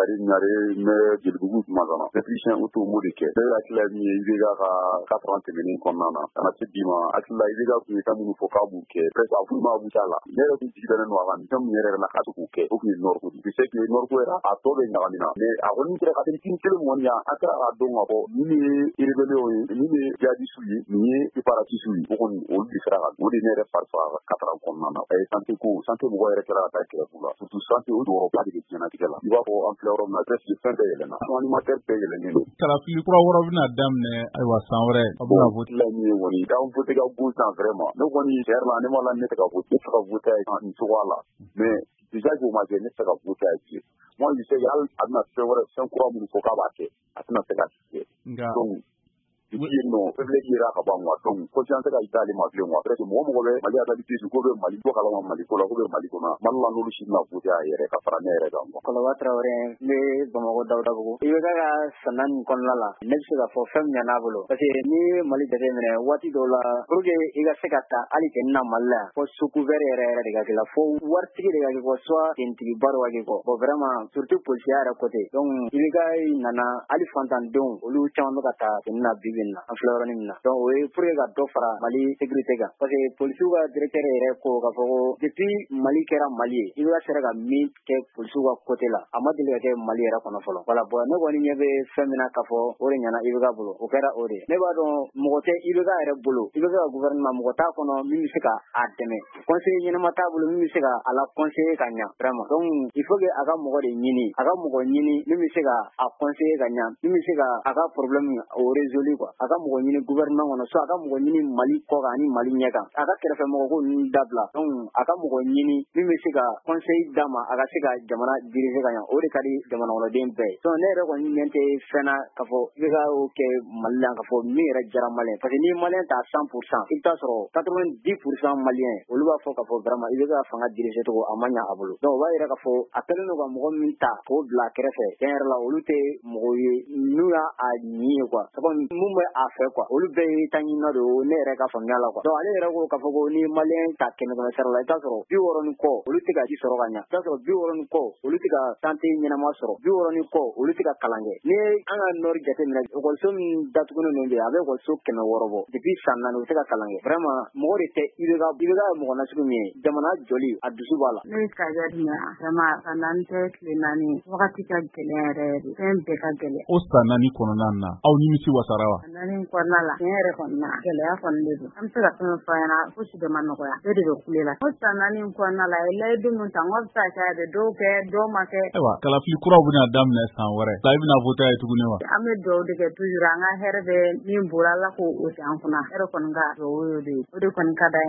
Karim Ɲare n bɛ Jelibugu Kumazana, technicien auto m'o de kɛ. Ne hakilila ye min ye IBK ka 4 ans tɛmɛnen kɔnɔna na ka na se bi ma, hakilila IBK tun ye fɛn minnu fɔ k'a b'u kɛ, presque a foyi ma abouti a la. Ne yɛrɛ tun jigi dalen don a kan, fɛn min yɛrɛ yɛrɛ la k'a se k'o kɛ, o tun ye Nord ko de ye. Je sais que Nord ko yɛrɛ a tɔ bɛɛ ɲagamina, mais a kɔni sera ka fɛn kelen kɔni yan, an sera k'a dɔn k'a fɔ nin de ye rébellion ye, nin de ye djihadiste ye, nin ye séparatiste ye. O kɔni olu de sera ka o de ne yɛrɛ fari faga 4 ans kɔnɔna na. Santé ko, santé mɔgɔ yɛrɛ kɛra ka taa grève la, surtout santé, o jɔyɔrɔba de bɛ diɲɛlatigɛ la. I b'a fɔ an filɛ yɔrɔ min na, presque fɛn bɛɛ yɛlɛnna, alimentaire bɛɛ yɛlɛnnen don. Kalafili kura wɛrɛ bɛna daminɛ, ayiwa, san wɛrɛ, a bɛna vote. La min ye kɔni k'an vote ka bon san, vraiment ne kɔni tiɲɛ yɛrɛ la, ne ma la, ne tɛ ka vote, ne tɛ ka vote nin cogoya la, mais déjà k'o ma kɛ, ne tɛ ka vote a ye bilen. Moi, je sais que hali a bɛna fɛn wɛrɛ, fɛn kura minnu fɔ k'a b'a kɛ, a tɛna se ka kɛ. Nka donc depuis yen nɔ, faiblesse yera ka ban quoi. Donc confiance ka d'ale ma bilen quoi. Presque mɔgɔ mɔgɔ bɛ Mali réalité, ko bɛ Mali bɔ kalama Mali ko la, ko bɛ Mali kɔnɔ, Mali la, n'olu si tɛna voter a yɛrɛ ka fara ne yɛrɛ kan quoi. Kɔlɔba Tarawele, n bɛ Bamakɔ Dawudabugu. IBK ka san 4 kɔnɔna la, ne bɛ se k'a fɔ fɛn min ɲan'a bolo, parce que n'i ye Mali jateminɛ waati dɔw la, pour que i ka se ka ta hali kɛ na Mali la yan, fo sous couvert yɛrɛ yɛrɛ de ka k'i la, fo waritigi de ka k'i kɔ, soit tenitigiba dɔ ka k'i kɔ. Bon, vraiment, surtout policiya yɛrɛ côté. Donc IBK nana, hali fantandenw, olu caman bɛ ka taa tenue na bi bi in na, an filɛ yɔrɔnin min na. Donc o ye pour que ka dɔ fara Mali sécurité kan, parce que polisiw ka directeur yɛrɛ ko k'a fɔ ko depuis Mali kɛra Mali ye, IBK sera ka min kɛ polisiw ka côté la, a ma deli ka kɛ Mali yɛrɛ kɔnɔ fɔlɔ. Voilà. Bon, ne kɔni ɲɛ bɛ fɛn min na k'a fɔ o de ɲɛna IBK bolo, o kɛra o de ye. Ne b'a dɔn mɔgɔ tɛ IBK yɛrɛ bolo, IBK ka gouvernement, mɔgɔ t'a kɔnɔ min bɛ se ka a dɛmɛ, conseiller ɲɛnama t'a bolo min bɛ se ka a la conseiller ka ɲa vraiment. Donc il faut que a ka mɔgɔ de ɲini, a ka mɔgɔ ɲini min bɛ se ka a conseiller ka ɲa, min bɛ se ka a ka problème o résoudre quoi. A ka mɔgɔ ɲini gouvernement kɔnɔ, soit a ka mɔgɔ ɲini Mali kɔ kan ani Mali ɲɛ kan, a ka kɛrɛfɛ mɔgɔ ko ninnu dabila. Donc a ka mɔgɔ ɲini min bɛ se ka conseil d'a ma, a ka se ka jamana diriger ka ɲa. O de ka di jamana kɔnɔden bɛɛ ye. Donc ne yɛrɛ kɔni ɲɛ tɛ fɛn na k'a fɔ IBK y'o kɛ Mali la, k'a fɔ min yɛrɛ diyara Malien, parce que n'i ye Malien ta 100%, i bɛ taa sɔrɔ 90% Malien, olu b'a fɔ k'a fɔ vraiment IBK ka fanga diriger cogo a ma ɲa a bolo. Donc o b'a yira k'a fɔ a kɛlen don ka mɔgɔ min ta k'o bila a kɛrɛfɛ, tiɲɛ yɛrɛ la, olu tɛ mɔgɔ ye n'u y'a a ɲi ye quoi, c'est comme mun bɛ a fɛ quoi, olu bɛɛ ye taɲinina de ye, ne yɛrɛ ka faamuya la quoi. Donc ale yɛrɛ ko k'a fɔ ko ni Malien ta kɛmɛ kɛmɛ sara la, i bɛ taa sɔrɔ 60 ni kɔ, olu tɛ ka ji sɔrɔ ka ɲa, i bɛ taa sɔrɔ 60 ni kɔ, olu tɛ ka santé ɲɛnama sɔrɔ, 60 ni kɔ, olu tɛ ka kalan kɛ. N'i ye an ka nord jateminɛ, ekɔliso min datugulen don bi, a bɛ ekɔliso 600 bɔ, depuis san 4 u tɛ ka kalan kɛ. Vraiment, mɔgɔ de tɛ IBK. IBK ye mɔgɔ nasugu min ye, jamana jɔli a dusu b'a la. Ne ye Kaja Dunbiya. Vraiment, san 4 tɛ tile 4 ye, wagati ka gɛlɛn yɛrɛ yɛrɛ de, fɛn bɛɛ ka gɛlɛn. O san 4 kɔnɔna na, aw nimisi wasara wa? San 4 kɔnɔna la, tiɲɛ yɛrɛ kɔni na, gɛlɛya kɔni de don. An bɛ se ka fɛn fɔ ɲɛna, fosi de ma nɔgɔya, bɛɛ de bɛ kule la. O san 4 kɔnɔna la, a ye layidu min ta, n ko bɛ se ka kɛ a bɛ dɔw kɛ, dɔw ma kɛ. Ayiwa, kalafili kuraw bɛna daminɛ san wɛrɛ la, i bɛna voter ye tuguni wa? An bɛ dugawu de kɛ toujours, an ka hɛrɛ bɛ min bolo, Ala k'o sigi an kunna. Hɛrɛ kɔni ka dugawu y'o de ye, o de kɔni ka d'an ye.